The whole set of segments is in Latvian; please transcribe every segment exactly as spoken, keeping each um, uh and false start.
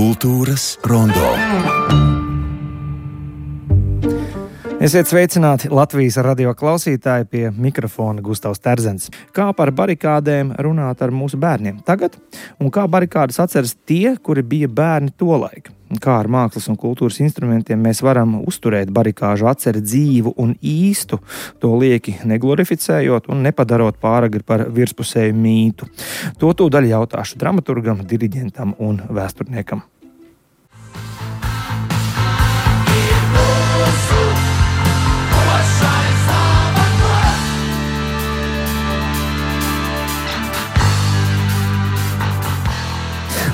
Kultūras rondo. Esiet sveicināti Latvijas radio klausītāji, pie mikrofona Gustavs Terzens. Kā par barikādēm runāt ar mūsu bērniem tagad, un kā barikādas atceras tie, kuri bija bērni tolaik? Kā ar mākslas un kultūras instrumentiem mēs varam uzturēt barikāžu atceri dzīvu un īstu, to lieki neglorificējot un nepadarot pāragri par virspusēju mītu. To tūdaļ jautāšu dramaturgam, diriģentam un vēsturniekam.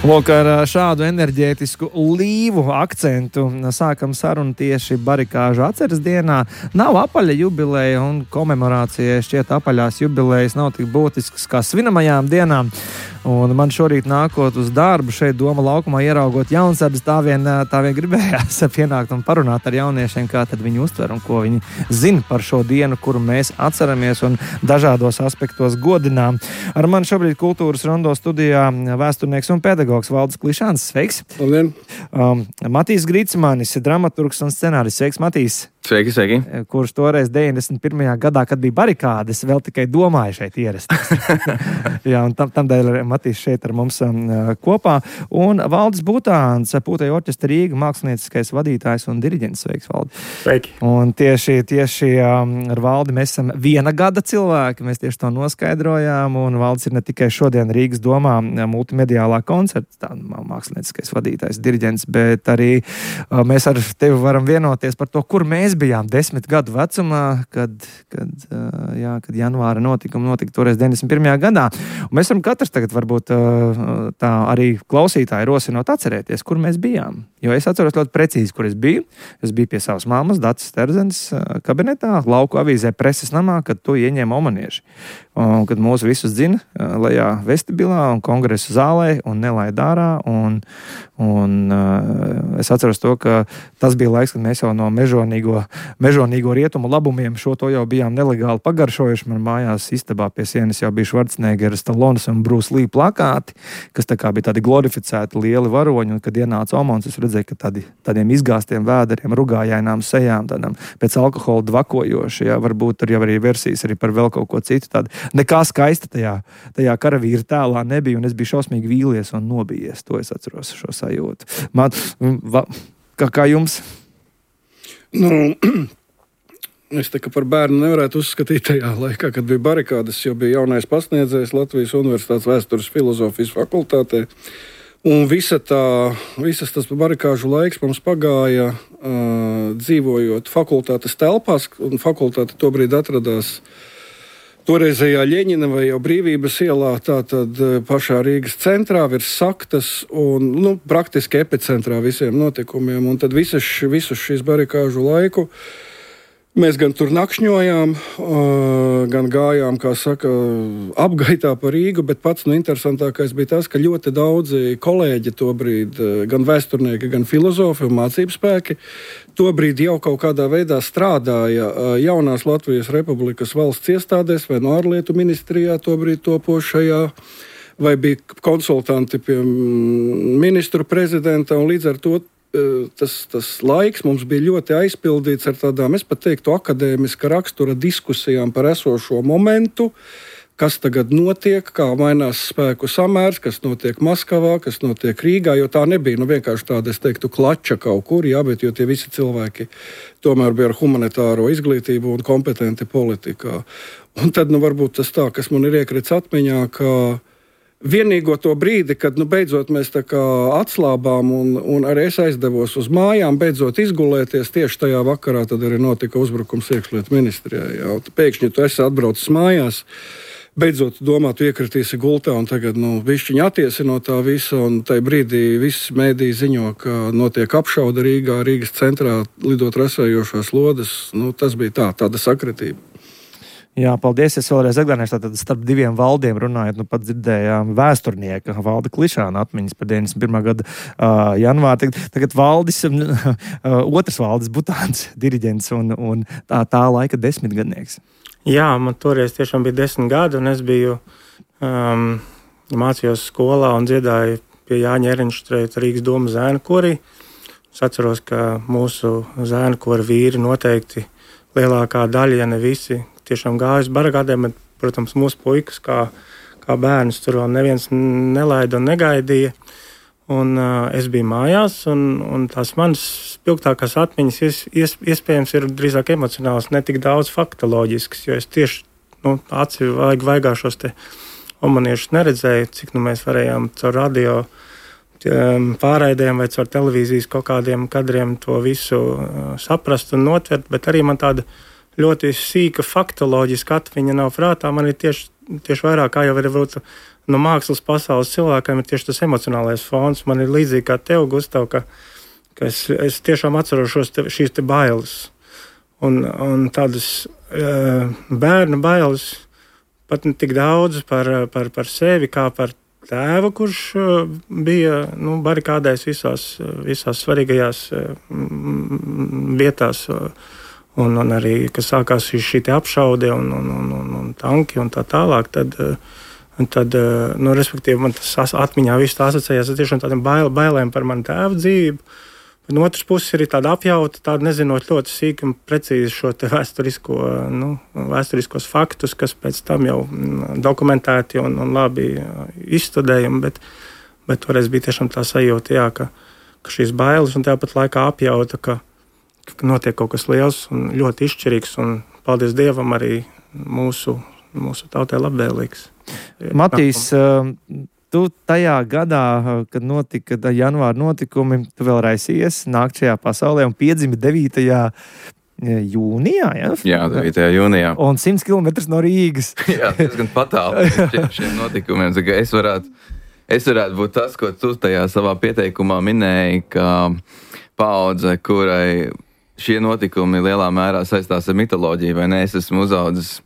Lūk, ar šādu enerģētisku līvu akcentu sākam sarunu tieši barikāžu atceres dienā. Nav apaļa jubileja un komemorācija, šķiet apaļās jubilejas nav tik būtisks kā svinamajām dienām. Un man šorīt nākot uz darbu šeit Doma laukumā ieraugot jaunsardzes, tā vien, tā vien gribējās pienākt un parunāt ar jauniešiem, kā tad viņi uztver un ko viņi zina par šo dienu, kuru mēs atceramies un dažādos aspektos godinām. Ar mani šobrīd kultūras rondo studijā vēsturnieks un pedagogs Valdis Klišāns. Sveiks! Labdien! Um, Matīs Grīcmanis, dramaturgs un scenārists. Sveiks, Matīs! Sveiki, sveiki! Kurš toreiz deviņdesmit pirmajā gadā, kad bija barikādes, vēl tikai domāja šeit ierasties. Jā, un tam, tam dēļ Matīs šeit ar mums um, kopā. Un Valdis Butāns, Pūtēju orķestra Rīga, mākslinieckais vadītājs un diriģents. Sveiks, Valdi! Sveiki! Un tieši, tieši um, ar Valdi mēs esam viena gada cilvēki, mēs tieši to noskaidrojām, un Valdis ir ne tikai šodien Rīgas domā multimediālā koncerta, tā mākslinieckais vadītājs, diriģents, bet arī uh, mēs ar tevi varam vienoties par to, kur mēs bijām desmit gadu vecumā, kad, kad, jā, kad janvāra notikuma notika toreiz deviņdesmit pirmajā gadā. Un mēs varam katrs tagad varbūt tā arī klausītāji rosinot atcerēties, kur mēs bijām. Jo es atceros ļoti precīzi, kur es biju. Es biju pie savas mammas, Dacas Terzenes kabinetā, Lauku avīzē Preses namā, kad to ieņēma omanieši. Un kad mūs visus dzina lejā vestibilā un kongresu zālē un nelaid ārā. Un, un es atceros to, ka tas bija laiks, kad mēs jau no mežonīgo mežonīgo rietumu labumiem šo to jau bijām nelegāli pagaršojuši. Man mājās istabā pie sienas jau bija Schwarzeneggera, Stallones un Bruce Lee plakāti, kas tā kā bija tādi glorificēti lieli varoņi, un kad ienāca Omons, es redzēju, ka tādi, tādiem izgāstiem vēderiem, rugājainām sejām, tādām pēc alkohola dvakojoši, jā, varbūt tur jau arī versijas arī par vēl kaut ko citu. Tādi. Nekā skaista tajā, tajā karavīra tēlā nebija, un es biju šausmīgi vīlies un nobijies. To es atceros, šo sajūtu. Man, va, kā, kā jums? Nu, es tā kā par bērnu nevarētu uzskatīt tajā laikā, kad bija barikādes, jo bija jaunais pasniedzējs Latvijas Universitātes vēstures filozofijas fakultātē. Un visa tā, visas tas barikāžu laiks mums pagāja uh, dzīvojot fakultātes telpās, un fakultāte tobrīd atradās toreizējā Ļeņina vai jau Brīvības ielā, tātad pašā Rīgas centrā, virs Saktas un, nu, praktiski epicentrā visiem notikumiem. Un tad visas, visus šīs barikāžu laiku mēs gan tur nakšņojām, gan gājām, kā saka, apgaitā pa Rīgu, bet pats nu, interesantākais bija tas, ka ļoti daudzi kolēģi tobrīd, gan vēsturnieki, gan filozofi un mācību spēki, tobrīd jau kaut kādā veidā strādāja jaunās Latvijas Republikas valsts iestādēs vai no ārlietu ministrijā tobrīd topošajā, vai bija konsultanti pie ministru prezidenta, un līdz ar to Tas, tas laiks mums bija ļoti aizpildīts ar tādām, es pat teiktu, akadēmiska rakstura diskusijām par esošo momentu, kas tagad notiek, kā mainās spēku samērs, kas notiek Maskavā, kas notiek Rīgā, jo tā nebija nu, vienkārši tāda, es teiktu, klača kaut kur, jā, bet jo tie visi cilvēki tomēr bija ar humanitāro izglītību un kompetenti politikā. Un tad nu, varbūt tas tā, kas man ir iekrits atmiņā, ka vienīgo to brīdi, kad nu, beidzot mēs tā kā atslābām un, un arī es aizdevos uz mājām, beidzot izgulēties, tieši tajā vakarā tad arī notika uzbrukums iekšlietu ministrijā. Jā. Pēkšņi tu esi atbraucis mājās, beidzot domā, tu iekritīsi gultā un tagad nu, bišķiņi attiesi no tā visa, un tajā brīdī visi mēdīji ziņo, ka notiek apšauda Rīgā, Rīgas centrā lidot rasējošās lodes. Nu, tas bija tā, tāda sakritība. Jā, paldies. Es vēlreiz atgādināšu, tātad starp diviem Valdiem runājot, nu pat dzirdējām vēsturnieka Valda Klišāna atmiņas par deviņdesmit pirmā gada uh, janvāru. Tagad, tagad Valdis, uh, otrs Valdis Butāns, diriģents un, un tā, tā laika desmitgadnieks. Jā, man toreiz tiešām bija desmit gadi, un es biju um, mācījos skolā un dziedāju pie Jāņa Ehrenšteita Rīgas domas zēnu korī. Es atceros, ka mūsu zēnu kora vīri noteikti lielākā daļa, ja ne visi, tiešām gāja uz barikādēm, bet, protams, mūsu puikas, kā, kā bērnus, tur vēl neviens nelaida un negaidīja. Un uh, es biju mājās, un, un tās manas spilgtākās atmiņas ies, ies, iespējams ir drīzāk emocionāls, ne tik daudz faktoloģisks, jo es tieši nu, aci vaig, vaigāšos te omaniešus neredzēju, cik nu mēs varējām caur radio pārraidēm vai caur televīzijas kaut kādiem kadriem to visu uh, saprast un notvert, bet arī man tāda ļoti sīka faktoloģiska atmiņa nav prātā. Man ir tieši, tieši vairāk, kā jau var būt no mākslas pasaules cilvēkiem, ir tieši tas emocionālais fons. Man ir līdzīgi kā tev, Gustav, ka, ka es, es tiešām atceros šos te, šīs te bailes. Un, un tādas uh, bērnu bailes pat ne tik daudz par, par, par sevi, kā par tēvu, kurš bija nu, barikādēs visās, visās svarīgajās vietās, un, un arī, kas sākās šī apšaude un, un, un, un, un tanki un tā tālāk, tad, tad nu, respektīvi, man tas atmiņā viss tā asociējās ar tiešām tādiem bail, bailēm par manu tēvu dzīvību. No otras puses ir tāda apjauta, tāda nezinot ļoti sīki un precīzi šo te vēsturisko, nu, vēsturiskos faktus, kas pēc tam jau dokumentēti un, un labi izstudējumi, bet, bet toreiz bija tiešām tā sajūta, jā, ka, ka šīs bailes un tāpat laikā apjauta, ka, ka notiek kaut kas liels un ļoti izšķirīgs un, paldies Dievam, arī mūsu, mūsu tautai labvēlīgs. Matīs, tu tajā gadā, kad notika janvāra notikumi, tu vēl raisījies nākt šajā pasaulē un piedzimi devītajā jūnijā, ja? Jā, devītajā jūnijā. Un simts kilometrus no Rīgas. Jā, diezgan patāli šiem, šiem notikumiem. Es varētu, es varētu būt tas, ko tu tajā savā pieteikumā minēji, ka paudze, kurai šie notikumi lielā mērā saistās ar mitoloģiju, vai ne? Es esmu uzaudzis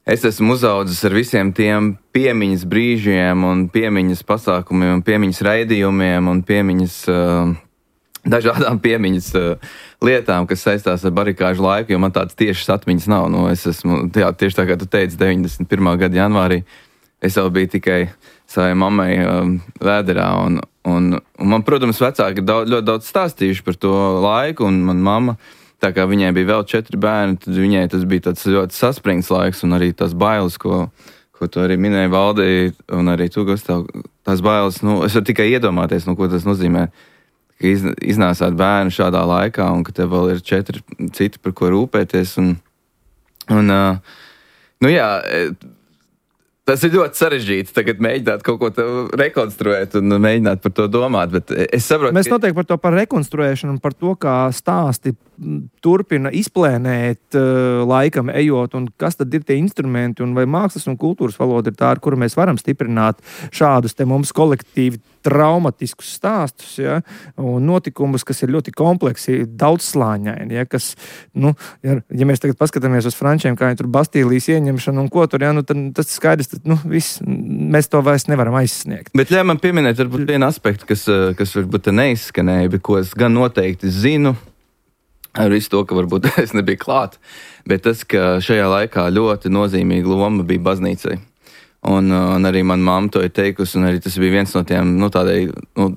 Es esmu uzaudzis ar visiem tiem piemiņas brīžiem un piemiņas pasākumiem un piemiņas raidījumiem un piemiņas, uh, dažādām piemiņas uh, lietām, kas saistās ar barikāžu laiku, jo man tādas tiešas atmiņas nav. Nu, es esmu, jā, tieši tā kā tu teici, deviņdesmit pirmā gada janvārī, es jau biju tikai savai mammai uh, vēderā un, un, un man, protams, vecāki ir daudz, ļoti daudz stāstījuši par to laiku un man mamma, tā kā viņai bija vēl četri bērni, tad viņai tas bija tāds ļoti saspringts laiks un arī tās bailes, ko, ko tu arī minēji Valdī un arī tu, Gustav, tās bailes, nu, es varu tikai iedomāties, nu, ko tas nozīmē, ka iz, iznāsāt bērnu šādā laikā un ka tev vēl ir četri citi, par ko rūpēties un, un uh, nu jā, tas ir ļoti sarežģīti tagad mēģināt kaut ko rekonstruēt un mēģināt par to domāt, bet es saprotu, Mēs noteikti par to par rekonstruēšanu un par to, kā stāsti turpina izplēnēt uh, laikam ejot un kas tad ir tie instrumenti un vai mākslas un kultūras valoda ir tā, ar kuru mēs varam stiprināt šādus te mums kolektīvi traumatiskus stāstus, ja, un notikumus, kas ir ļoti kompleksi, daudzslāņaini, ja, kas, nu, ja, ja mēs tagad paskatāmies uz frančiem, kā viņi tur Bastīlijas ieņemšanu un ko tur, ja, nu, tad tas skaidrs, tad, nu, viss, mēs to vairs nevaram aizsniegt. Bet ļauj man pieminēt varbūt vienu aspektu, kas, kas varbūt te neizskanēja, bet ko es gan noteikti zinu, ar visu to, ka varbūt es nebiju klāt, bet tas, ka šajā laikā ļoti nozīmīga loma bija baznīcai. Un, un arī man mamma to ir teikusi, un arī tas bija viens no tiem, nu, tādai, nu,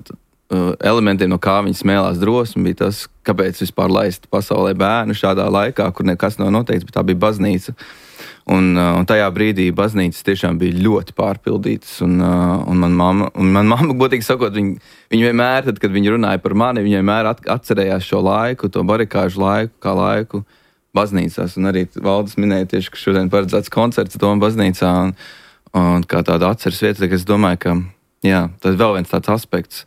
elementiem, no kā viņi smēlās drosmi, bija tas, kāpēc vispār laist pasaulē bērnu šādā laikā, kur nekas nav noteikts, bet tā bija baznīca. Un, un tajā brīdī baznīcas tiešām bija ļoti pārpildītas, un, un man mamma, un man mamma, godīgi sakot, viņa, viņa vienmēr, tad, kad viņa runāja par mani, viņa vienmēr atcerējās šo laiku, to barikāžu laiku, kā laiku baznīcās, un arī Valdis minēja tieši, ka šodien paredzēts koncerts Doma baznīcā, un, un kā tāda atceres vieta, tad es domāju, ka, jā, tas vēl viens tāds aspekts,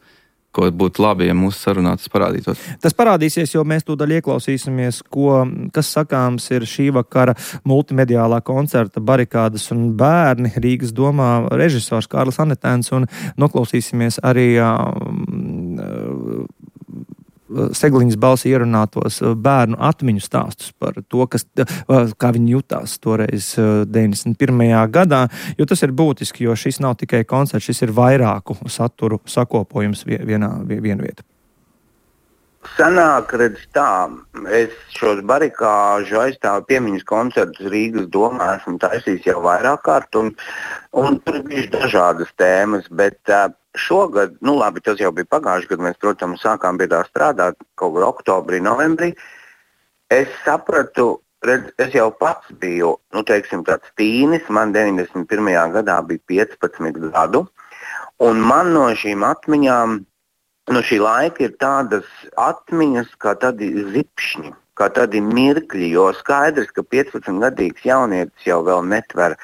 ko būtu labi, ja mūsu sarunā tas parādītos. Tas parādīsies, jo mēs tūdaļ ieklausīsimies, ko, kas sakāms ir šī vakara multimediālā koncerta Barikādas un bērni Rīgas domā režisors Kārlis Anetēns, un noklausīsimies arī uh, Segliņas balsi ierunātos bērnu atmiņu stāstus par to, kas, kā viņi jutās toreiz deviņdesmit pirmajā gadā, jo tas ir būtiski, jo šis nav tikai koncerts, šis ir vairāku saturu sakopojums vienā vienu vietu. Sanāk, redz tā, es šos barikāžu aizstāvu piemiņas koncertus Rīgas domā esmu taisījis jau vairāk kārt, un, un tur ir bijuši dažādas tēmas, bet uh, šogad, nu labi, tas jau bija pagājuši, kad mēs, protams, sākām pie tā strādāt kaut kur oktobrī, novembrī, es sapratu, redz, es jau pats biju, nu teiksim, tāds tīnis, man deviņdesmit pirmajā gadā bija piecpadsmit gadu, un man no šīm atmiņām, no šī laika ir tādas atmiņas, kā tādi zipšņi, kā tādi mirkļi, jo skaidrs, ka piecpadsmitgadīgs jaunietis jau vēl netver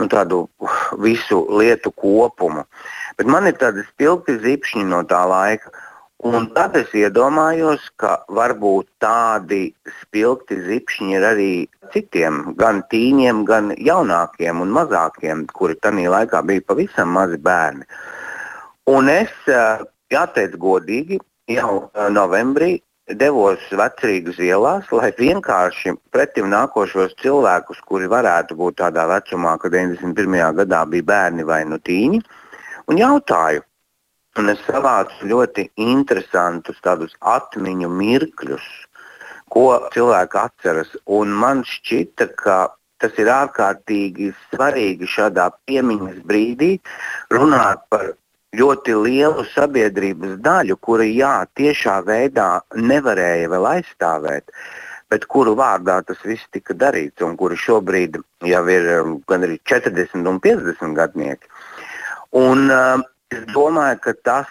nu, tādu visu lietu kopumu. Bet man ir tādi spilgti zipšņi no tā laika. Un tad es iedomājos, ka varbūt tādi spilgti zipšņi ir arī citiem, gan tīņiem, gan jaunākiem un mazākiem, kuri tanī laikā bija pavisam mazi bērni. Un es, jāteic godīgi, jau novembrī devos Vecrīgas ielās, lai vienkārši pretim nākošos cilvēkus, kuri varētu būt tādā vecumā, kad deviņdesmit pirmajā gadā bija bērni vai nu tīņi, un jautāju. Un es savācu ļoti interesantus tādus atmiņu mirkļus, ko cilvēki atceras. Un man šķita, ka tas ir ārkārtīgi svarīgi šādā piemiņas brīdī runāt par ļoti lielu sabiedrības daļu, kura, jā, tiešā veidā nevarēja vēl aizstāvēt, bet kuru vārdā tas viss tika darīts, un kuri šobrīd jau ir gan arī četrdesmit un piecdesmit gadnieki. Un uh, es domāju, ka tas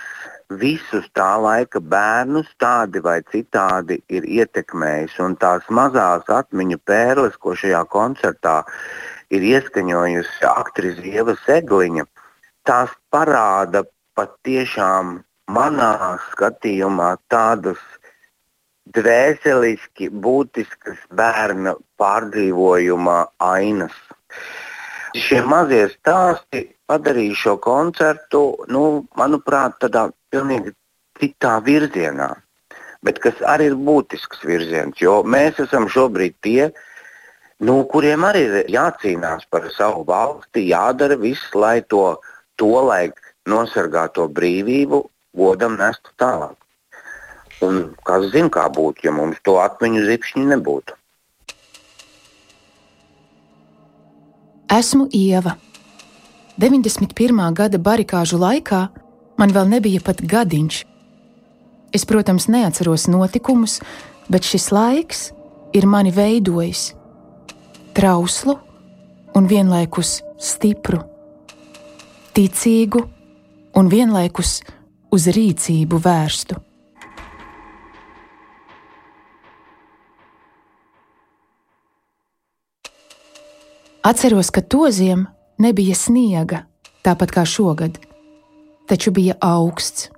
visus tā laika bērnus tādi vai citādi ir ietekmējis, un tās mazās atmiņu pērles, ko šajā koncertā ir ieskaņojusi aktrise Ieva Segliņa, tās parāda patiešām manā skatījumā tādas dvēseliski būtiskas bērna pārdzīvojuma ainas. Šie mazie stāsti padarīja šo koncertu, nu, manuprāt, tādā pilnīgi citā virzienā, bet kas arī ir būtisks virziens, jo mēs esam šobrīd tie, nu, kuriem arī ir jācīnās par savu valsti, jādara viss, lai to tolaik nosargāto brīvību godam nestu tālāk. Un kas zina, kā būtu, ja mums to atmiņu zipšņi nebūtu. Esmu Ieva. deviņdesmit pirmā gada barikāžu laikā man vēl nebija pat gadiņš. Es, protams, neatceros notikumus, bet šis laiks ir mani veidojis. Trauslu un vienlaikus stipru, ticīgu un vienlaikus uz rīcību vērstu. Atceros, ka toziem nebija sniega, tāpat kā šogad, taču bija augsts.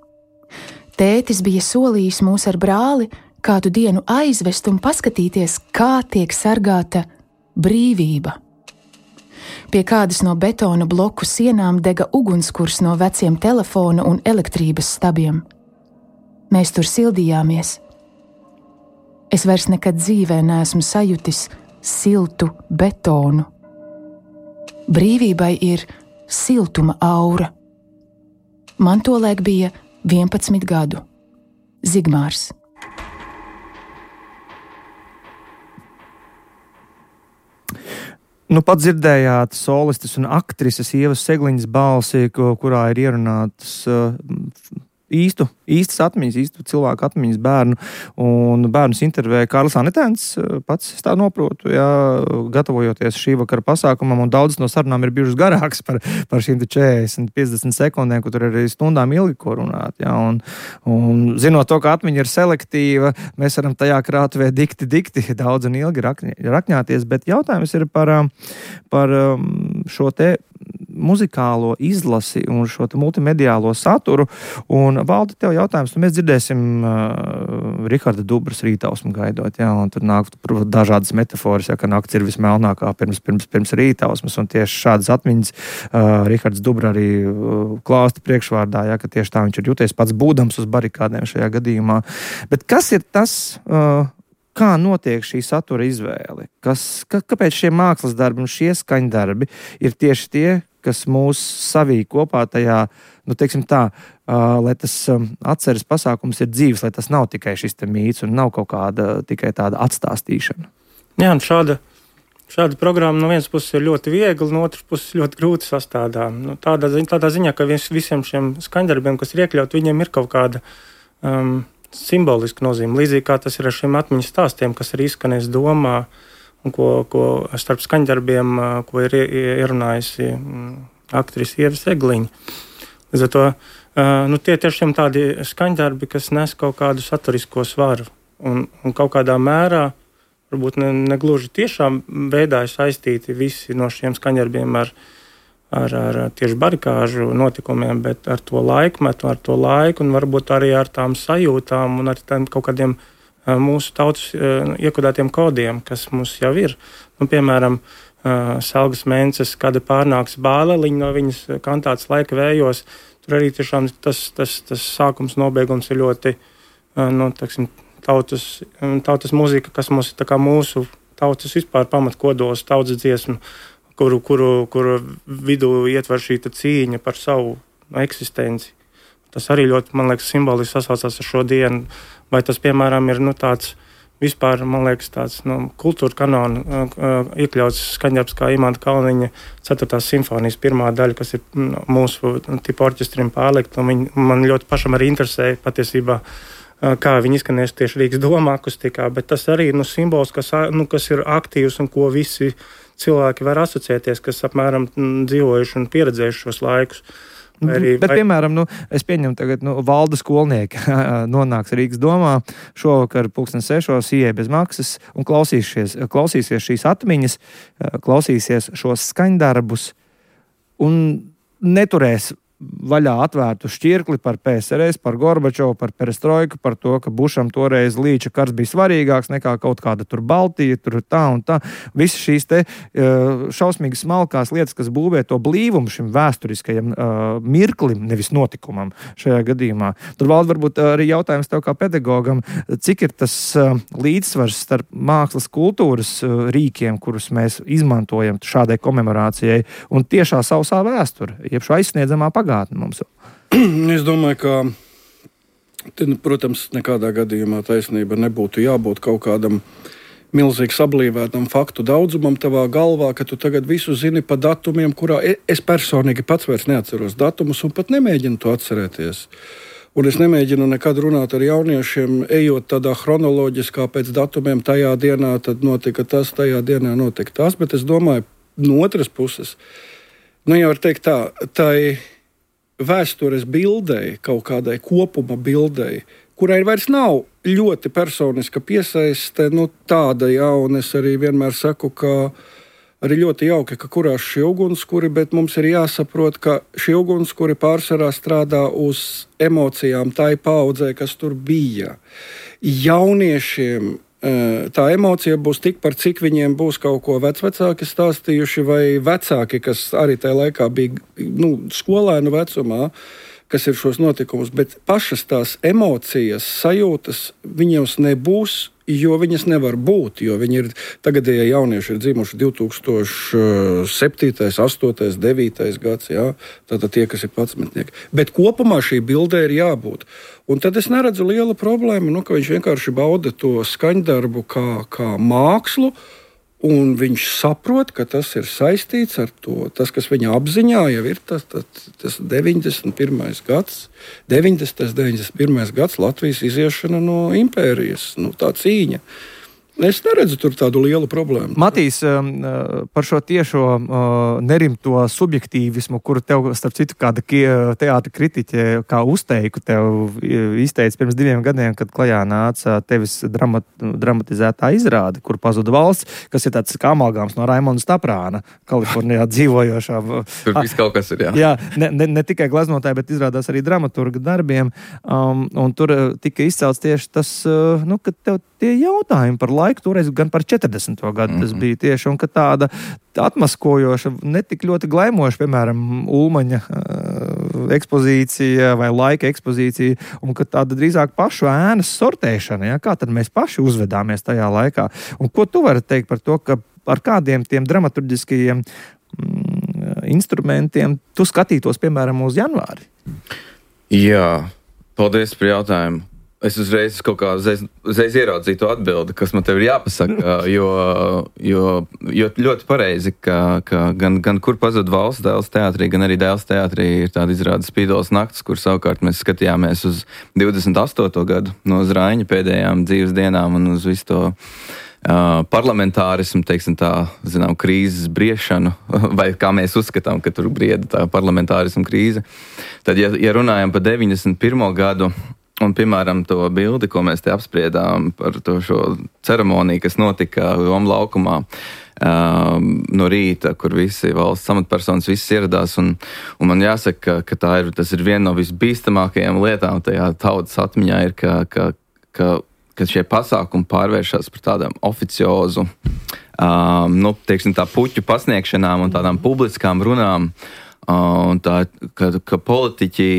Tētis bija solījis mūs ar brāli kādu dienu aizvest un paskatīties, kā tiek sargāta brīvība. Pie kādas no betona bloku sienām dega ugunskurs no veciem telefona un elektrības stabiem. Mēs tur sildījāmies. Es vairs nekad dzīvē neesmu sajutis siltu betonu. Brīvībai ir siltuma aura. Man tolaik bija vienpadsmit gadu. Zigmārs. Nu, pat dzirdējāt solistes un aktrises Ievas Segliņas balsi, kurā ir ierunātas uh, īstu, īstas atmiņas, īstu cilvēku atmiņas bērnu. Un bērnus intervēja Kārlis Anetēns, pats es tā noprotu, jā, gatavojoties šī vakara pasākumam, un daudzas no sarunām ir bijušas garākas par, par šīm četrdesmit piecdesmit sekundēm, kur tur ir arī stundām ilgi ko runāt. Jā, un, un zinot to, ka atmiņa ir selektīva, mēs varam tajā krātuvē dikti, dikti daudz un ilgi rakņ, rakņāties, bet jautājums ir par, par šo te muzikālo izlasi un šo multimediālo saturu. Un, Valdi, tev jautājums, nu mēs dzirdēsim uh, Riharda Dubras Rītausmu gaidot, jā, un tur nāk dažādas metaforas, jā, ka nakts ir vismelnākā pirms, pirms, pirms Rītausmas, un tieši šādas atmiņas uh, Rihards Dubra arī uh, klāsta priekšvārdā, jā, ka tieši tā viņš ir jūties pats būdams uz barikādēm šajā gadījumā. Bet kas ir tas... Uh, Kā notiek šī satura izvēle? Kas, ka, kāpēc šie mākslas darbi un šie skaņdarbi ir tieši tie, kas mūs savīja kopā tajā, nu, teiksim tā, uh, lai tas um, atceres pasākums ir dzīves, lai tas nav tikai šis te mīts un nav kaut kāda tikai tāda atstāstīšana? Jā, un šāda šāda programma no vienas puses ir ļoti viegla, no otras puses ļoti grūti sastādām. Nu, tādā, ziņā, tādā ziņā, ka vis, visiem šiem skaņdarbiem, kas ir iekļauti, viņiem ir kaut kāda um, simboliska nozīme. Līdzīgi kā tas ir ar šiem atmiņas stāstiem, kas ir izskanējis domā, un ko, ko starp skaņdarbiem, ko ir ierunājusi aktrise Ieva Segliņa. Līdz ar to Uh, nu, tie tiešām tādi skaņdarbi, kas nes kaut kādu saturisko svaru. Un, un kaut kādā mērā, varbūt ne, ne gluži tiešām veidā saistīti visi no šiem skaņdarbiem ar, ar, ar tieši barikāžu notikumiem, bet ar to laikmetu, ar to laiku un varbūt arī ar tām sajūtām un ar tām kaut kādiem uh, mūsu tautas uh, iekodētiem kodiem, kas mums jau ir. Nu, piemēram, uh, Selgas Mences, kad pārnāks bāleliņa no viņas kantātas laika vējos. Tur arī tiešām tas, tas, tas sākums, nobeigums ir ļoti nu, taksim, tautas, tautas mūzika, kas mums ir mūsu tautas vispār pamatkodols, tautas dziesma, kuru, kuru, kuru vidū ietver šī cīņa par savu eksistenci. Tas arī ļoti, man liekas, simboliski sasaucās ar šo dienu. Vai tas, piemēram, ir nu, tāds vispār, man liekas, tāds nu, kultūra kanona uh, iekļauts skaņdarbs kā Imanta Kalniņa ceturtās simfonijas pirmā daļa, kas ir nu, mūsu tipu orķestrim pārlikt. Viņ, man ļoti pašam arī interesēja patiesībā, uh, kā viņi izskanēs tieši Rīgas doma akustikā, bet tas arī nu, simbols, kas, nu, kas ir aktīvs un ko visi cilvēki var asociēties, kas apmēram m, dzīvojuši un pieredzējuši šos laikus. Arī, bet, vai... piemēram, nu, es pieņemu tagad, nu, valda skolnieki nonāks Rīgas domā šovakar pulksten sešos ieej bez maksas un klausīsies, klausīsies šīs atmiņas, klausīsies šos skaņdarbus un neturēs vaļā atvērtu šķirkli par P S R S, par Gorbačovu, par perestroiku, par to, ka Bušam toreiz līča karš bija svarīgāks nekā kaut kāda tur Baltija, tur tā un tā. Visas šīs te šausmīgi smalkās lietas, kas būvē to blīvumu šim vēsturiskajam uh, mirklim, nevis notikumam šajā gadījumā. Tur valda varbūt arī jautājums tev kā pedagogam, cik ir tas uh, līdzsvars starp mākslas kultūras uh, rīkiem, kurus mēs izmantojam šādai komemorācijai, un tiešā sausā vēsture, jeb šo aizsniedzamā pagātne mums. Es domāju, ka, te, protams, nekādā gadījumā taisnība nebūtu jābūt kaut kādam milzīgi sablīvētam faktu daudzumam tavā galvā, ka tu tagad visu zini pa datumiem, kurā es personīgi pats vairs neatceros datumus un pat nemēģinu to atcerēties. Un es nemēģinu nekad runāt ar jauniešiem, ejot tādā chronoloģiskā pēc datumiem, tajā dienā tad notika tas, tajā dienā notika tas, bet es domāju, no otras puses, nu jau var teikt tā, tai vēstures bildei, kaut kādai kopuma bildei, kurai vairs nav ļoti personiska piesaiste, nu tāda, jā, un es arī vienmēr saku, ka arī ļoti jauki, ka kurās šie ugunskuri, bet mums ir jāsaprot, ka šie ugunskuri pārsvarā strādā uz emocijām tai paaudzē, kas tur bija. Jauniešiem tā emocija būs tik par cik viņiem būs kaut ko vecvecāki stāstījuši vai vecāki, kas arī tajā laikā bija nu, skolēnu vecumā, kas ir šos notikumus, bet pašas tās emocijas, sajūtas viņos nebūs, jo viņas nevar būt, jo viņi ir, tagadējie jaunieši ir dzimuši divi tūkstoši septītais, astotais, devītais gads, jā, tātad tie, kas ir padsmetnieki. Bet kopumā šī bildē ir jābūt. Un tad es neredzu lielu problēmu, nu, ka viņš vienkārši bauda to skaņdarbu kā, kā mākslu, un viņš saprot, ka tas ir saistīts ar to, tas, kas viņa apziņā jau ir tas, tas, tas deviņdesmit pirmais gads, deviņdesmitais, deviņdesmit pirmais gads Latvijas iziešana no impērijas, nu, tā cīņa. Es neredzu tur tādu lielu problēmu. Matīs, par šo tiešo nerimto subjektīvismu, kuru tev, starp citu, kāda teātra kritiķe, kā uzteiku tev izteica pirms diviem gadiem, kad klajā nāca tevis dramat, dramatizētā izrāde, kur pazuda valsts, kas ir tāds kā amalgāms no Raimonda Staprāna, Kalifornijā dzīvojošā. Tur viss kaut kas ir, jā. Jā, ne, ne, ne tikai gleznotāji, bet izrādās arī dramaturga darbiem, um, un tur tika izcelts tieši tas, uh, nu, ka tev tie jautājumi par laiku toreiz gan par četrdesmito gadu mm-hmm. tas bija tieši, un ka tāda atmaskojoša, netik ļoti glaimoša, piemēram, Ulmaņa uh, ekspozīcija vai laika ekspozīcija, un ka tāda drīzāk pašu ēnas sortēšana, ja? Kā tad mēs paši uzvedāmies tajā laikā. Un ko tu vari teikt par to, ka ar kādiem tiem dramaturģiskajiem mm, instrumentiem tu skatītos, piemēram, uz janvāri? Jā, paldies par jautājumu. Es uzreiz kaut kā uzreiz, uzreiz ieraudzīju to atbildi, kas man tev ir jāpasaka, jo, jo, jo ļoti pareizi, ka, ka gan, gan kur pazud valsts Dēls teātrī, gan arī Dēls teātrī ir tāda izrāda Spīdoles nakts, kur savukārt mēs skatījāmies uz divdesmit astoto gadu no Zraiņa pēdējām dzīves dienām un uz visu to uh, parlamentārismu, teiksim tā, zinām, krīzes briešanu, vai kā mēs uzskatām, ka tur brieda tā parlamentārismu krīze. Tad, ja, ja runājam par deviņdesmit pirmo gadu, un, piemēram, to bildi, ko mēs te apspriedām par to šo ceremoniju, kas notika Doma laukumā um, no rīta, kur visi valsts amatpersonas viss ieradās, un, un man jāsaka, ka, ka tā ir, tas ir viena no visbīstamākajām lietām tajā tautas atmiņā, ir, ka, ka, ka, ka šie pasākumi pārvēršas par tādām oficiozu, um, nu, teiksim, tā puķu pasniegšanām un tādām publiskām runām, uh, un tā, ka, ka politiķi.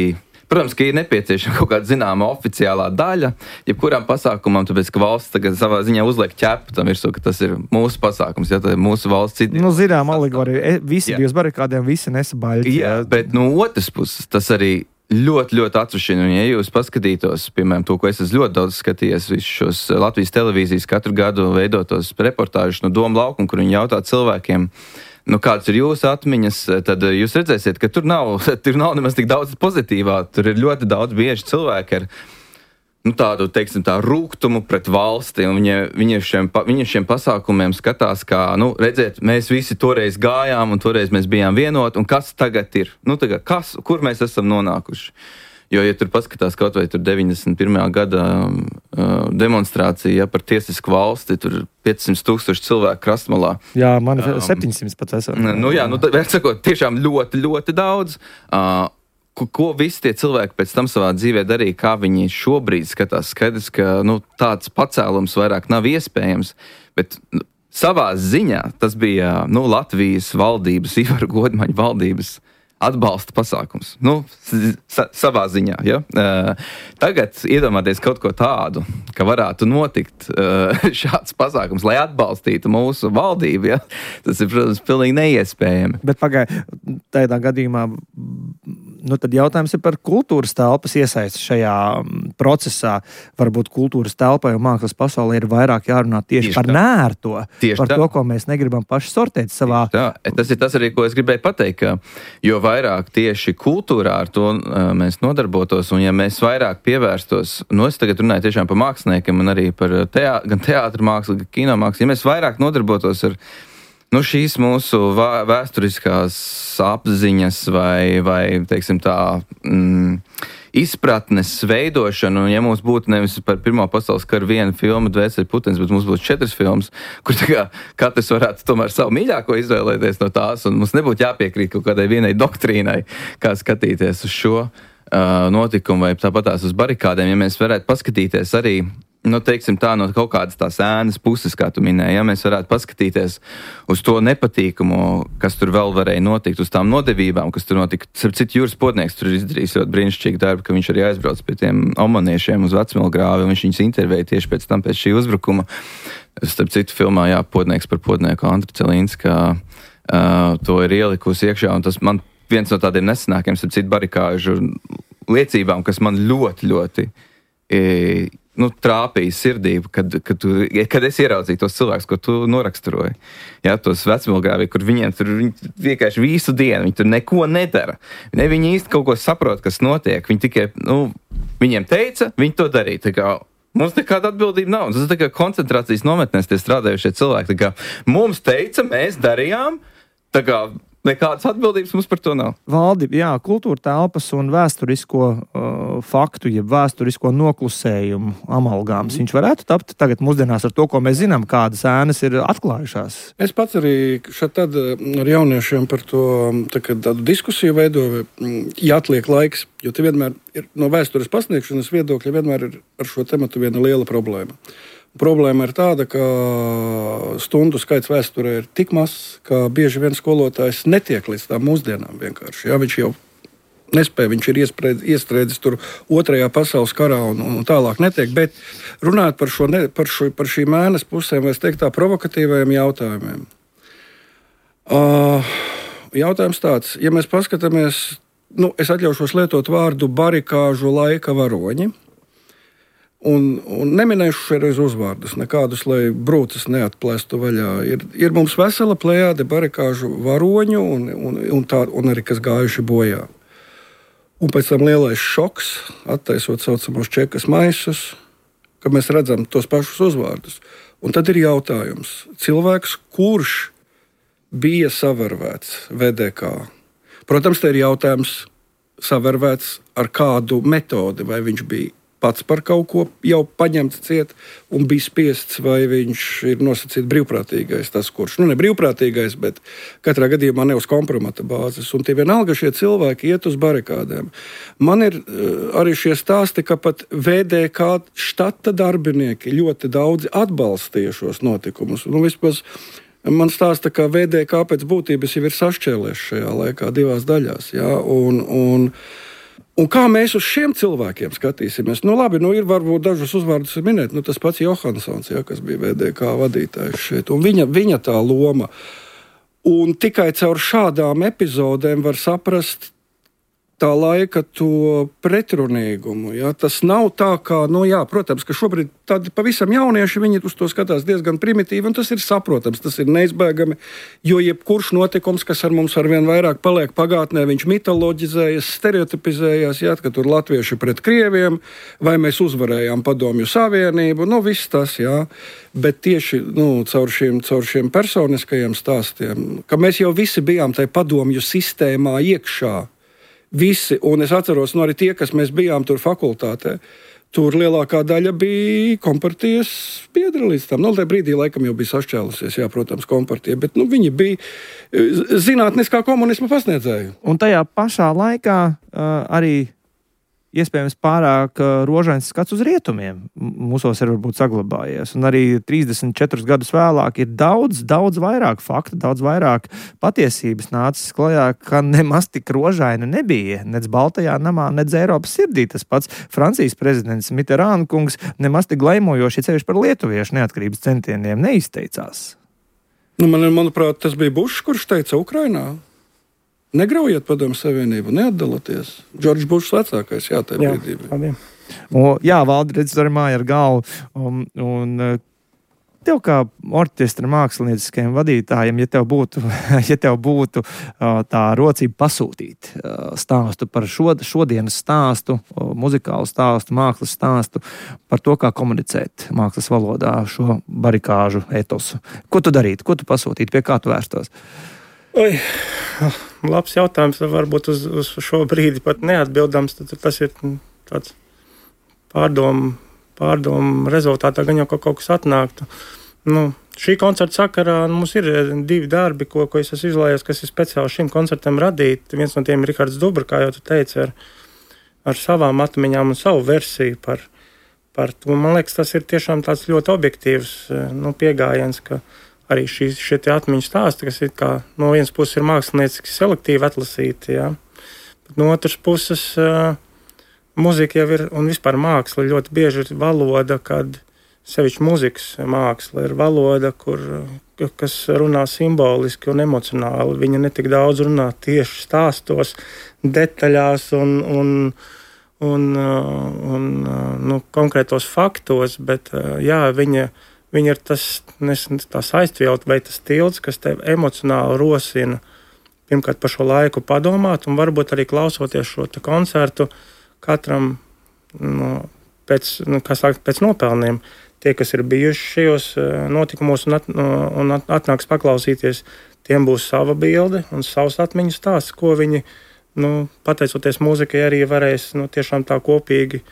Protams, ka ir nepieciešama kaut kāda zināma oficiālā daļa, jebkuram pasākumam, tāpēc, ka valsts tagad savā ziņā uzliek ķepu tam virsū, ka tas ir mūsu pasākums, ja tā ir mūsu valsts citi. Nu, zinām, alegorija, visi bija uz barikādiem, visi nesa baļķi. Jā, bet no otras puses, tas arī ļoti, ļoti atsušina, un ja jūs paskatītos, piemēram, to, ko es esmu ļoti daudz skatījies, visus šos Latvijas televīzijas katru gadu veidotos reportāžus no Doma laukuma, kur viņi jautā cilvēkiem, nu, kāds ir jūsu atmiņas, tad jūs redzēsiet, ka tur nav, tur nav nemaz tik daudz pozitīvā. Tur ir ļoti daudz bieži cilvēki ar nu, tādu, teiksim, tā rūgtumu pret valsti, un viņi, viņi, šiem, viņi šiem pasākumiem skatās, kā, nu, redziet, mēs visi toreiz gājām, un toreiz mēs bijām vienoti, un kas tagad ir? Nu, tagad, kas, kur mēs esam nonākuši? Jo, ja tur paskatās kaut vai tur deviņdesmit pirmā gada uh, demonstrācija, ja, par tiesisku valsti, tur piecsimt tūkstoši cilvēku Krastmalā. Jā, man um, septiņsimt pat esam. Nu jā, nu, tā, sakot, tiešām ļoti, ļoti daudz. Uh, ko, ko visi tie cilvēki pēc tam savā dzīvē darīja, kā viņi šobrīd skatās, skaidrs, ka nu, tāds pacēlums vairāk nav iespējams, bet nu, savā ziņā tas bija nu, Latvijas valdības, Ivara Godmaņa valdības atbalsta pasākums. Nu, sa- savā ziņā, ja? Uh, tagad iedomāties kaut ko tādu, ka varētu notikt uh, šāds pasākums, lai atbalstītu mūsu valdību, ja? Tas ir, protams, pilnīgi neiespējami. Bet pagai, tādā gadījumā, nu tad jautājums ir par kultūras telpas iesaisti šajā procesā. Varbūt kultūras telpai un mākslas pasaulē ir vairāk jārunā tieši, tieši par tā. Nērto, tieši par tā. To, ko mēs negribam paši sortēt savā. Tā. Tas ir tas arī, ko es gribēju pateikt, ka jo vairāk tieši kultūrā ar to uh, mēs nodarbotos, un ja mēs vairāk pievērstos, nu es tagad runāju tiešām par māksliniekiem un arī par teā, gan teātra mākslu, gan kino mākslu, ja mēs vairāk nodarbotos ar nu, šīs mūsu vā, vēsturiskās apziņas vai, vai teiksim tā, mm, izpratnes veidošanu, un ja mums būtu nevis par Pirmā pasaules karu viena filma Dvēseli Putens, bet mums būtu četras filmas, kur tā kā katrs varētu tomēr savu mīļāko izvēlēties no tās, un mums nebūtu jāpiekrīt kaut kādai vienai doktrīnai, kā skatīties uz šo uh, notikumu, vai tāpatās uz barikādēm, ja mēs varētu paskatīties arī nu, teiksim tā, no kaut kādas tās ēnas puses, kā tu minēji, ja mēs varētu paskatīties uz to nepatīkumu, kas tur vēl varēja notikt, uz tām nodevībām, kas tur notika. Starp citu, Juris Podnieks tur ir izdarījis ļoti brīnišķīgu darbu, ka viņš arī aizbrauc pie tiem omaniešiem uz Vecmilgrāvi, un viņš viņus intervēja tieši pēc tam, pēc šī uzbrukuma. Starp citu, filmā, jā, Podnieks par Podnieku Andra Celīnska uh, to ir ielikusi iekšā, un tas man viens no tādiem nesenākiem, starp citu, barikāžu liecībām, kas man ļoti, ļoti e, nu, trāpīja sirdī, kad, kad, tu, kad es ieraudzīju tos cilvēkus, ko tu noraksturoji. Jā, tos Vecmilgrāvi, kur viņiem tur viņi vienkārši visu dienu, viņi tur neko nedara. Ne, viņi īsti kaut ko saprot, kas notiek. Viņi tikai, nu, viņiem teica, viņi to darīja. Tā kā mums nekāda atbildība nav. Tas ir tā kā koncentrācijas nometnēs tie strādājušie cilvēki. Tā kā mums teica, mēs darījām, tā kā nekādas atbildības mums par to nav. Valdi, jā, kultūra telpas un vēsturisko uh, faktu, jeb vēsturisko noklusējumu amalgāms. Mm. Viņš varētu tapt tagad mūsdienās ar to, ko mēs zinām, kādas ēnas ir atklājušās. Es pats arī šeit tad ar jauniešiem par to tā, tādu diskusiju veidoju, ja atliek laiks, jo te vienmēr ir no vēstures pasniegšanas viedokļa vienmēr ir ar šo tematu viena liela problēma. Problēma ir tāda, ka stundu skaits vēsturē ir tik mazs, ka bieži vien skolotājs netiek līdz tām mūsdienām vienkārši. Jā, viņš jau nespēja, viņš ir iestrēdzis tur otrajā pasaules karā un, un tālāk netiek, bet runāt par, šo, ne, par, šo, par šīm ēnas pusēm, vai es teiktu tā, provokatīvajiem jautājumiem. Uh, jautājums tāds, ja mēs paskatāmies, nu, es atļaušos lietot vārdu barikāžu laika varoņi, un, un neminēšu šoreiz uzvārdus, nekādus, lai brūces neatplēstu vaļā. Ir, ir mums vesela plejāde barikāžu varoņu un, un, un, tā, un arī kas gājuši bojā. Un pēc tam lielais šoks, attaisot saucamos čekas maisus, ka mēs redzam tos pašus uzvārdus. Un tad ir jautājums, cilvēks, kurš bija savervēts V D K. Protams, te ir jautājums savervēts ar kādu metodi, vai viņš bija pats par kaut ko jau paņemts ciet un bija spiests, vai viņš ir nosacīts brīvprātīgais, tas kurš, nu ne brīvprātīgais, bet katrā gadījumā ne uz kompromata bāzes. Un tie vienalga šie cilvēki iet uz barikādēm. Man ir uh, arī šie stāsti, ka pat V D K štata darbinieki ļoti daudzi atbalstīja šos notikumus. Nu, vispār man stāsta, ka V D K pēc būtības jau ir sašķēlēs šajā laikā divās daļās. Ja? Un, un, un kā mēs uz šiem cilvēkiem skatīsimies? Nu, labi, nu, ir varbūt dažus uzvārdus minēt. Nu, tas pats Johansons, ja, kas bija V D K vadītājs šeit. Un viņa, viņa tā loma. Un tikai caur šādām epizodēm var saprast tā laika to pretrunīgumu. Ja? Tas nav tā, kā, nu jā, protams, ka šobrīd tādi pavisam jaunieši, viņi uz to skatās diezgan primitīvi, un tas ir saprotams, tas ir neizbēgami, jo jebkurš notikums, kas ar mums arvien vairāk paliek pagātnē, viņš mitoloģizējas, stereotipizējas, ja? Ka tur latvieši pret krieviem, vai mēs uzvarējām Padomju Savienību, nu viss tas, jā. Bet tieši nu, caur, šiem, caur šiem personiskajiem stāstiem, ka mēs jau visi bijām tai padomju sistēmā iekšā, visi, un es atceros, nu arī tie, kas mēs bijām tur fakultātē, tur lielākā daļa bija kompartijas biedri līdz tam. Nu, tajā brīdī laikam jau bija sašķēlusies, jā, protams, kompartija, bet nu, viņi bija zinātniskā komunisma pasniedzēji. Un tajā pašā laikā uh, arī iespējams pārāk uh, rožains skats uz rietumiem mūsos ir varbūt saglabājies. Un arī trīsdesmit četrus gadus vēlāk ir daudz, daudz vairāk faktu, daudz vairāk patiesības nācis klajā, ka nemaz tik rožaina nebija. Nec Baltajā namā, nec Eiropas sirdī. Tas pats Francijas prezidents Mitterāna kungs nemaz tik glaimojoši ceļš par lietuviešu neatkarības centieniem neizteicās. Nu, man, manuprāt, tas bija Bušs, kurš teica Ukrainā. Negraujiet Padomju Savienību, neatdalieties. Džordžs Bušs vecākais, jā, tajā brīdī. Jā, Valdi, redz, arī māja ar galvu. Un, un tev kā orķestra mākslinieckajiem vadītājiem, ja tev būtu, ja tev būtu tā rocība pasūtīt stāstu par šo, šodienas stāstu, muzikālu stāstu, mākslas stāstu, par to, kā komunicēt mākslas valodā šo barikāžu etosu. Ko tu darītu? Ko tu pasūtītu? Pie kā tu vērstos? Oi, labs jautājums, varbūt uz, uz šo brīdi pat neatbildams, tad tas ir tāds pārdomu, pārdomu rezultātā, gan jau kaut kas atnāktu. Nu, šī koncerta sakarā mums ir divi darbi, ko, ko es esmu izlējies, kas ir speciāli šim koncertam radīti. Viens no tiem ir Rihards Dubra, kā jau tu teici, ar, ar savām atmiņām un savu versiju par, par to. Man liekas, tas ir tiešām tāds ļoti objektīvs nu, pieejams, ka arī šie, šie atmiņu stāsti, kas ir kā, no vienas puses ir mākslinieciski selektīvi atlasīti, jā. Bet no otras puses uh, muzika jau ir, un vispār māksla ļoti bieži ir valoda, kad sevišķi muzikas māksla ir valoda, kur, kas runā simboliski un emocionāli. Viņa ne tik daudz runā tieši stāstos, detaļās un, un, un, un nu, konkrētos faktos, bet jā, viņa Viņa ir tas, tās aiztvielt vai tas tilts, kas tev emocionāli rosina pirmkārt par šo laiku padomāt un varbūt arī klausoties šo te koncertu katram no, pēc, nu, kā sākt, pēc nopelniem. Tie, kas ir bijuši šajos notikumos un, at, un atnāks paklausīties, tiem būs sava bilde un savs atmiņu stāsts, ko viņi, nu, pateicoties mūzikai, arī varēs nu, tiešām tā kopīgi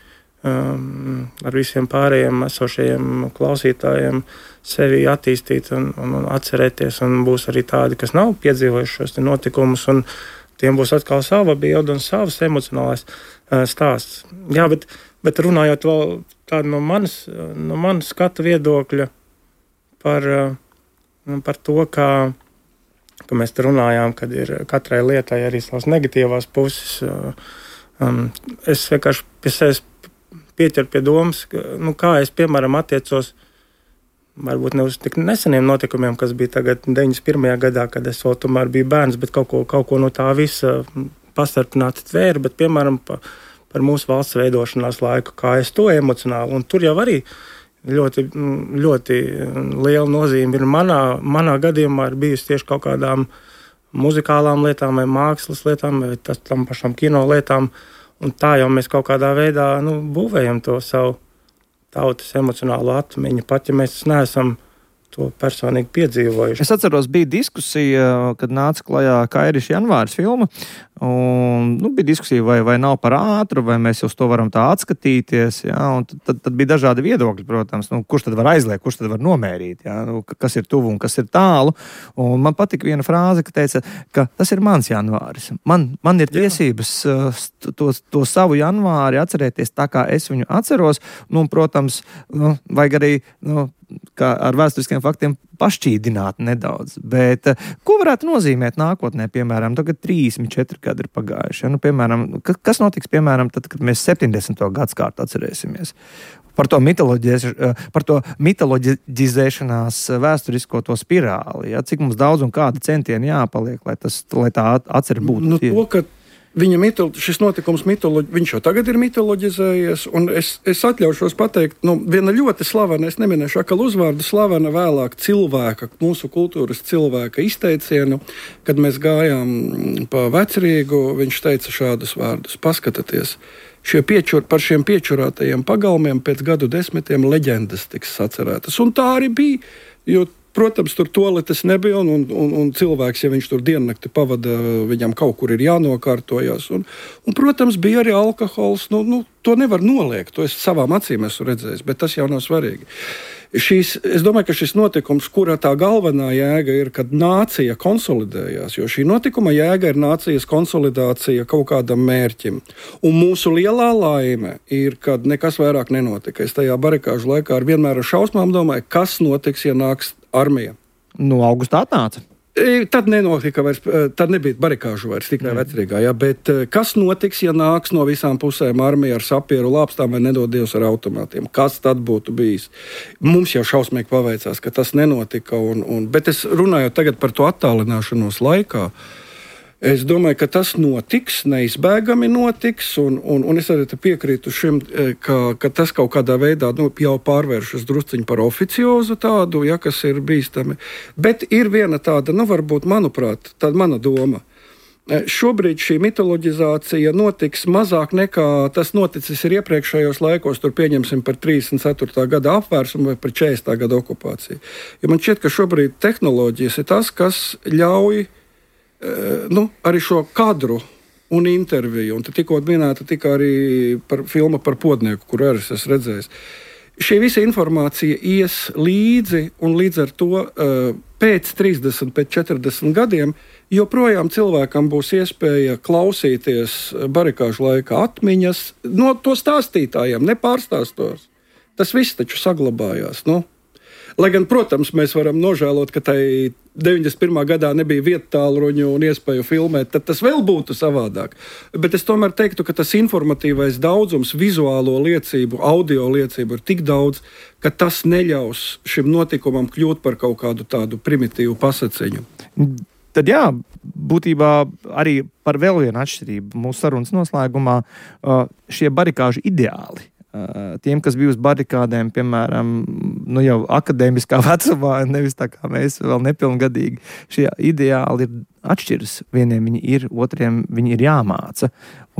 Um, ar visiem pārējiem esošajiem klausītājiem sevi attīstīt un, un, un atcerēties, un būs arī tādi, kas nav piedzīvojuši šos notikumus, un tiem būs atkal sava bilde un savs emocionālais uh, stāsts. Jā, bet, bet runājot vēl tādu no manas, no manas skatu viedokļa par, uh, par to, kā, ka mēs te runājām, kad ir katrai lietai arī savas negatīvās puses. Uh, um, es vienkārši pie sevis pieķer pie domas, ka, nu, kā es, piemēram, attiecos varbūt ne uz tik neseniem notikumiem, kas bija tagad deviņdesmit pirmajā gadā, kad es vēl tomēr biju bērns, bet kaut ko, kaut ko no tā visa pastarpināti tvēru, bet, piemēram, pa, par mūsu valsts veidošanās laiku, kā es to emocionāli. Un tur jau arī ļoti, ļoti liela nozīme ir manā, manā gadījumā ir bijusi tieši kaut kādām muzikālām lietām vai mākslas lietām vai tas, tam pašam kino lietām. Un tā jau mēs kaut kādā veidā nu, būvējam to savu tautas emocionālo atmiņu, pat ja mēs neesam to personīgi piedzīvojuši. Es atceros, bija diskusija, kad nāca klajā Kairis janvāris filma, un nu, bija diskusija, vai, vai nav par ātru, vai mēs uz to varam tā atskatīties, jā, un tad, tad, tad bija dažādi viedokļi, protams, nu, kurš tad var aizliegt, kurš tad var nomērīt, jā, nu, kas ir tuvu un kas ir tālu, un man patika viena frāze, ka teica, ka tas ir mans janvāris, man, man ir tiesības to, to savu janvāri atcerēties tā, kā es viņu atceros, nu, un, protams, nu, vajag arī, nu, kā ar vēsturiskiem faktiem pašķīdināt nedaudz. Bet ko varētu nozīmēt nākotnē, piemēram, tagad trīsdesmit četri gadi ir pagājuši? Ja? Nu, piemēram, kas notiks, piemēram, tad, kad mēs septiņdesmito gadskārtu atcerēsimies? Par to, par to mitoloģizēšanās vēsturisko to spirāli. Ja? Cik mums daudz un kāda centieni jāpaliek, lai, tas, lai tā atcer būtu? Nu, to, ka Viņa mitolo, šis notikums, mitoloģi, viņš jau tagad ir mitoloģizējies, un es, es atļaušos pateikt, nu, viena ļoti slavena, es neminēšu akal uzvārdu, slavena vēlāk cilvēka, mūsu kultūras cilvēka izteicienu, kad mēs gājām pa Vecrīgu, viņš teica šādus vārdus: paskatieties, šie piečur, par šiem piečurātajiem pagalmiem pēc gadu desmitiem leģendas tiks sacerētas, un tā arī bija, jo protams, tur toaletes nebija, un, un, un cilvēks, ja viņš tur diennakti pavada, viņam kaut kur ir jānokārtojas. Un, un protams, bija arī alkohols. Nu, nu, to nevar noliegt, to es savām acīm esmu redzējis, bet tas jau nav svarīgi. Šīs, es domāju, ka šis notikums, kura tā galvenā jēga ir, kad nācija konsolidējās, jo šī notikuma jēga ir nācijas konsolidācija kaut kādam mērķim. Un mūsu lielā laime ir, kad nekas vairāk nenotika. Es tajā barikāžu laikā ar vienmēr ar šausmām domāju, kas notiks, ja nāks armija. Nu, augustā atnāca. Tad nenotika vairs, tad nebija barikāžu vairs tikai Vecrīgā, ja, bet kas notiks, ja nāks no visām pusēm armija ar sapieru lāpstām vai nedod Dievs ar automātiem? Kas tad būtu bijis? Mums jau šausmīgi paveicās, ka tas nenotika, un, un, bet es runāju tagad par to attālināšanos laikā. Es domāju, ka tas notiks, neizbēgami notiks, un, un, un es arī piekrītu šim, ka, ka tas kaut kādā veidā nu, jau pārvēršas drusciņi par oficiozu tādu, ja, kas ir bīstami. Bet ir viena tāda, nu varbūt, manuprāt, tāda mana doma. Šobrīd šī mitoloģizācija notiks mazāk nekā tas noticis ir iepriekšējos laikos, tur pieņemsim par trīsdesmit ceturtā gada apvērsumu vai par četrdesmitā gada okupāciju. Jo man šķiet, ka šobrīd tehnoloģijas ir tas, kas ļauj nu, arī šo kadru un interviju, un tikko minēta tika arī par filma par Podnieku, kur arī es esmu redzējis. Šī visa informācija ies līdzi, un līdz ar to pēc trīsdesmit, pēc četrdesmit gadiem joprojām cilvēkam būs iespēja klausīties barikāžu laikā atmiņas no to stāstītājiem, nepārstāstos. Tas viss taču saglabājās, nu. Lai gan, protams, mēs varam nožēlot, ka tai deviņdesmit pirmā gadā nebija viettālruņu un iespēju filmēt, tad tas vēl būtu savādāk. Bet es tomēr teiktu, ka tas informatīvais daudzums, vizuālo liecību, audio liecību ir tik daudz, ka tas neļaus šim notikumam kļūt par kaut kādu tādu primitīvu pasaciņu. Tad jā, būtībā arī par vēl vienu atšķirību mūsu sarunas noslēgumā šie barikāžu ideāli. Tiem, kas bija uz barikādēm, piemēram, nu jau akadēmiskā vecumā, nevis tā kā mēs vēl nepilngadīgi, šie ideāli ir atšķiras. Vieniem viņi ir, otriem viņi ir jāmāca.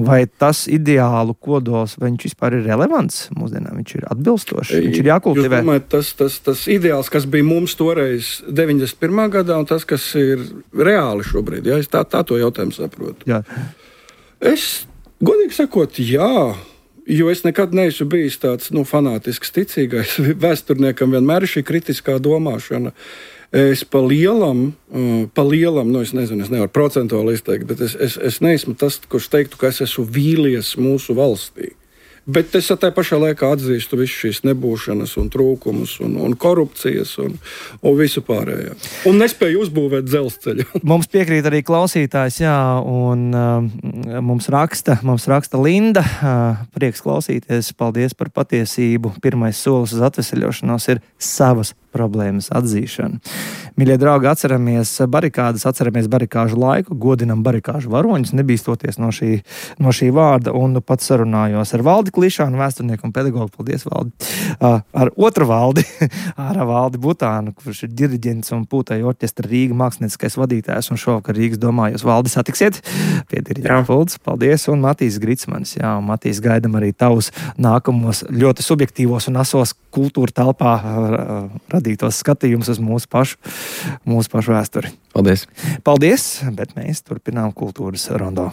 Vai tas ideālu kodols, vai viņš vispār ir relevants mūsdienām, viņš ir atbilstošs, viņš ir jākultivē? Jūs domājat, tas, tas, tas ideāls, kas bija mums toreiz deviņdesmit pirmā gadā, un tas, kas ir reāli šobrīd, ja? Es tā, tā to jautājumu saprotu. Jā. Es, godīgi sakot, jā. Jo es nekad neesmu bijis tāds nu, fanātisks ticīgais. Vēsturniekam vienmēr ir šī kritiskā domāšana. Es pa lielam, pa lielam, nu es nezinu, es nevaru procentuāli izteikt, bet es, es, es neesmu tas, kurš teiktu, ka es esmu vīlies mūsu valstī. Bet es tā pašā laikā atzīstu visu šīs nebūšanas un trūkumus un, un korupcijas un, un visu pārējo. Un nespēju uzbūvēt dzelzceļu. Mums piekrīt arī klausītājs, jā, un uh, mums raksta, mums raksta Linda. Uh, prieks klausīties, paldies par patiesību. Pirmais solis uz atveseļošanos ir savas problēmas atzīšana. Mīļie draugi, atceramies barikādas, atceramies barikāžu laiku, godinam barikāžu varoņus, nebīstoties no šī, no šī vārda, un pats sarunājos ar Valdi Klišānu, vēsturnieku un pedagogu. Paldies, Valdi! Uh, ar otru Valdi, ar Valdi Butānu, kurš ir diriģents un Pūtēju orķestra Rīga mākslinieckais vadītājs, un šovakar Rīgas domā, jūs Valdi satiksiet pie diriģenta pults. Paldies, un Matīs Gritsmanis, jā, un Matīs, gaidam arī tavus nākamos ļoti subjektīvos un asos kultūra telpā radītos skatījumus uz mūsu pašu, mūsu pašu vēsturi. Paldies! Paldies, bet mēs turpinām kultūras rondo.